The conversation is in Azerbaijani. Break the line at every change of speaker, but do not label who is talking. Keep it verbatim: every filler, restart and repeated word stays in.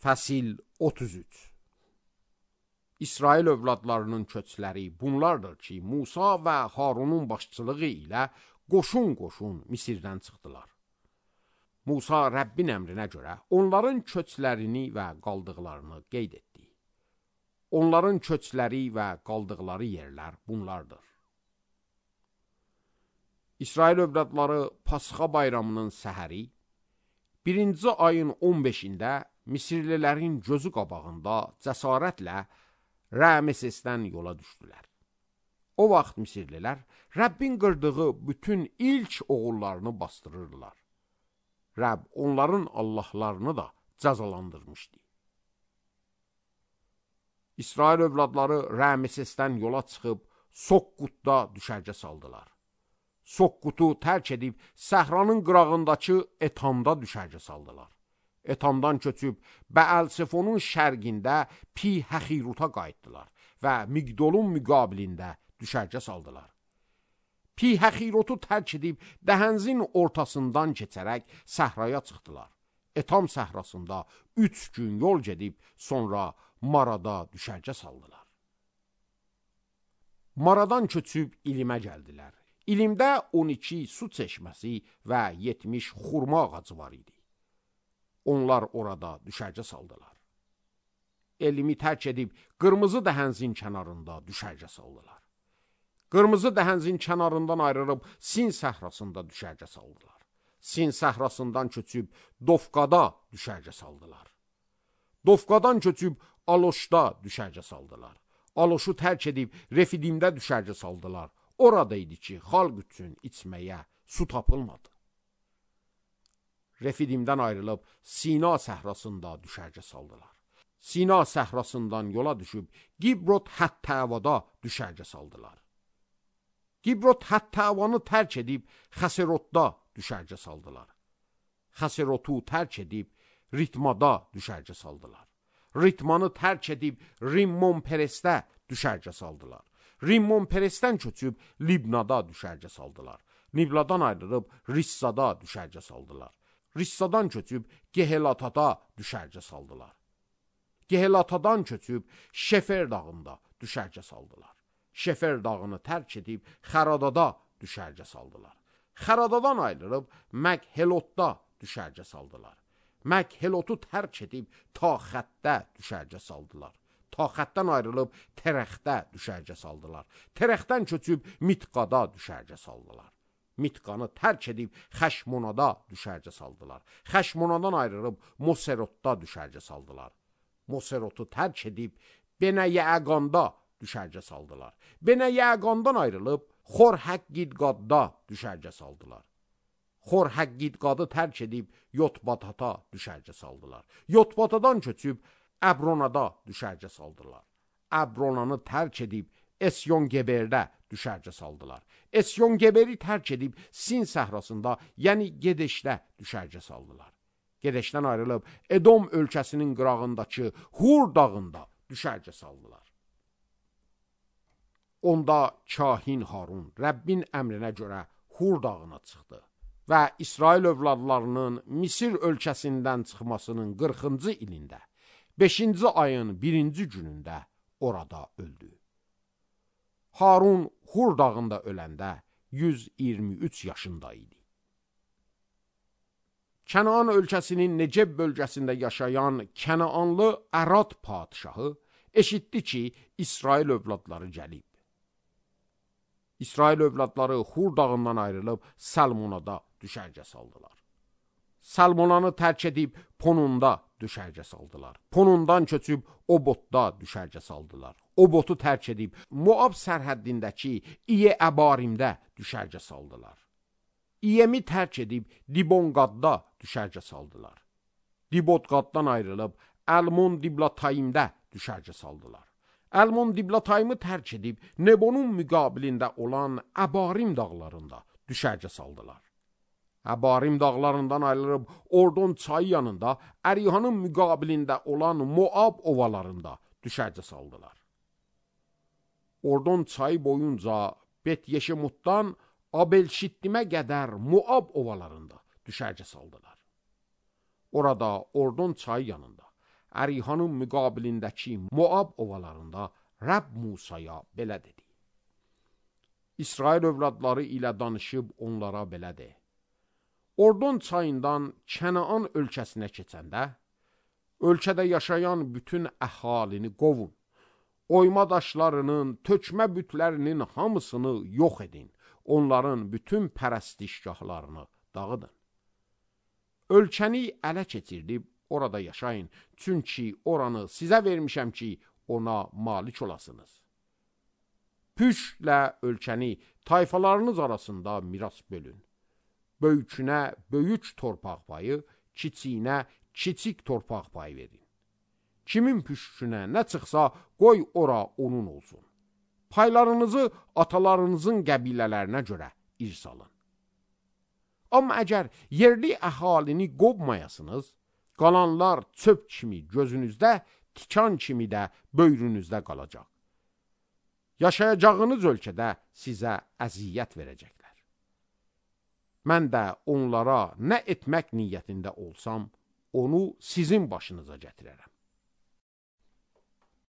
Fəsil otuz üç. İsrail övladlarının köçləri bunlardır ki, Musa və Harunun başçılığı ilə qoşun-qoşun Misirdən çıxdılar. Musa Rəbbin əmrinə görə onların köçlərini və qaldıqlarını qeyd etdi. Onların köçləri və qaldıqları yerlər bunlardır. İsrail övladları Pasxa bayramının səhəri, birinci ayın on beşində Misirlilərin gözü qabağında cəsarətlə Ramesesdən yola düşdülər. O vaxt Misirlilər Rəbbin qırdığı bütün ilk oğullarını bastırırdılar. Rəbb onların Allahlarını da cəzalandırmışdı. İsrail övladları Ramesesdən yola çıxıb Soqqutda düşərgə saldılar. Soqqutu tərk edib səhranın qırağındakı Etamda düşərgə saldılar. Etamdan köçüb Bəəl-Sefonun şərqində Pi-Həxiruta qayıtdılar və Migdolun müqabilində düşərgə saldılar. Pi-Həxirutu tərk edib Dəhənzin ortasından keçərək səhraya çıxdılar. Etam səhrasında üç gün yol gedib sonra Marada düşərgə saldılar. Maradan köçüb İlimə gəldilər. İlimdə on iki su çeşməsi və yetmiş xurma ağacı var idi. Onlar orada düşərgə saldılar. Elimi tərk edib Qırmızı Dəhənzin kənarında düşərgə saldılar. Qırmızı Dəhənzin kənarından ayrılıb Sin səhrasında düşərgə saldılar. Sin səhrasından köçüb Dofqada düşərgə saldılar. Dofqadan köçüb Aloşda düşərgə saldılar. Aloşu tərk edib Refidimdə düşərgə saldılar. Orada idi ki, xalq üçün içməyə su tapılmadı. Refidimdən ayrılıb Sina səhrasında düşərgə saldılar. Sina səhrasından yola düşüb Gibrot Həttəvada düşərgə saldılar. Gibrot Həttəvanı tərk edib Xəserotda düşərgə saldılar. Xəserotu tərk edib Ritmada düşərgə saldılar. Ritmanı tərk edib Rimmon Peresdə düşərgə saldılar. Rimmon Peresdən köçüb Libnada düşərgə saldılar. Libnadan ayrılıb Rissada düşərgə saldılar. Rissadan köçüb Gehelatada düşərgə saldılar. Gehelatadan köçüb Şefer dağında düşərgə saldılar. Şefer dağını tərk edib Xəradada düşərgə saldılar. Xəradadan ayrılıb Məghelotda düşərgə saldılar. Məghelotu tərk edib Taxətdə düşərgə saldılar. Taxətdən ayrılıb Terəxdə düşərgə saldılar. Terəxdən köçüb Mitqada düşərgə saldılar. Mitqanı tərk edib Xəşmonada düşərgə saldılar. Xəşmonadan ayrılıb Moserotda düşərgə saldılar. Moserotu tərk edib Benəyəqanda düşərgə saldılar. Benəyəqandan ayrılıb Xorhəqqidqadda düşərgə saldılar. Xorhəqqidqadı tərk edib Yotbatata düşərgə saldılar. Yotbatadan köçüb Əbronada düşərgə saldılar. Əbronanı tərk edib Esyon-Geberdə düşərgə saldılar. Esyon-Geberi tərk edib Sin səhrasında, yəni Gedeşdə düşərgə saldılar. Gedeşdən ayrılıb Edom ölkəsinin qırağındakı Hur dağında düşərgə saldılar. Onda kahin Harun Rəbbin əmrinə görə Hur dağına çıxdı və İsrail övladlarının Misir ölkəsindən çıxmasının qırxıncı ilində, beşinci ayın birinci günündə orada öldü. Harun Hur dağında öləndə yüz iyirmi üç yaşında idi. Kənaan ölkəsinin Neceb bölgəsində yaşayan Kənaanlı Ərad padişahı eşitdi ki, İsrail övladları gəlib. İsrail övladları Hur dağından ayrılıb Salmonada düşərgə saldılar. Salmonanı tərk edib Ponunda düşərgə saldılar. Ponundan köçüb Obotda düşərgə saldılar. Obotu tərk edib Moab sərhəddindəki İye-Əbarimdə düşərgə saldılar. İyemi tərk edib Dibonqadda düşərgə saldılar. Dibotqaddan ayrılıb Əlmon Diblatayimdə düşərgə saldılar. Əlmon Diblatayimı tərk edib Nebonun müqabilində olan Əbarim dağlarında düşərgə saldılar. Əbarim dağlarından ayrılıb Ordon çayı yanında Ərihanın müqabilində olan Moab ovalarında düşərgə saldılar. Ordon çayı boyunca Bet-Yeşemutdan Abel-Şittimə qədər Moab ovalarında düşərgə saldılar. Orada Ordon çayı yanında Ərihanın müqabilindəki Moab ovalarında Rəbb Musaya belə dedi. İsrail övladları ilə danışıb onlara belə de. Ordon çayından Kənaan ölkəsinə keçəndə, ölkədə yaşayan bütün əhalini qovun. Oyma daşlarının, tökmə bütlərinin hamısını yox edin. Onların bütün pərəstişgahlarını dağıdın. Ölkəni ələ keçirdib orada yaşayın. Çünki oranı sizə vermişəm ki, ona malik olasınız. Püşlə ölkəni tayfalarınız arasında miras bölün. Böyükünə böyük torpaq payı, kiçiyinə kiçik torpaq payı verin. Kimin püşkünə nə çıxsa, qoy ora onun olsun. Paylarınızı atalarınızın qəbilələrinə görə irs alın. Amma əgər yerli əhalini qovmayasınız, qalanlar çöp kimi gözünüzdə, tikan kimi də böyrünüzdə qalacaq. Yaşayacağınız ölkədə sizə əziyyət verəcəklər. Mən də onlara nə etmək niyyətində olsam, onu sizin başınıza gətirərəm.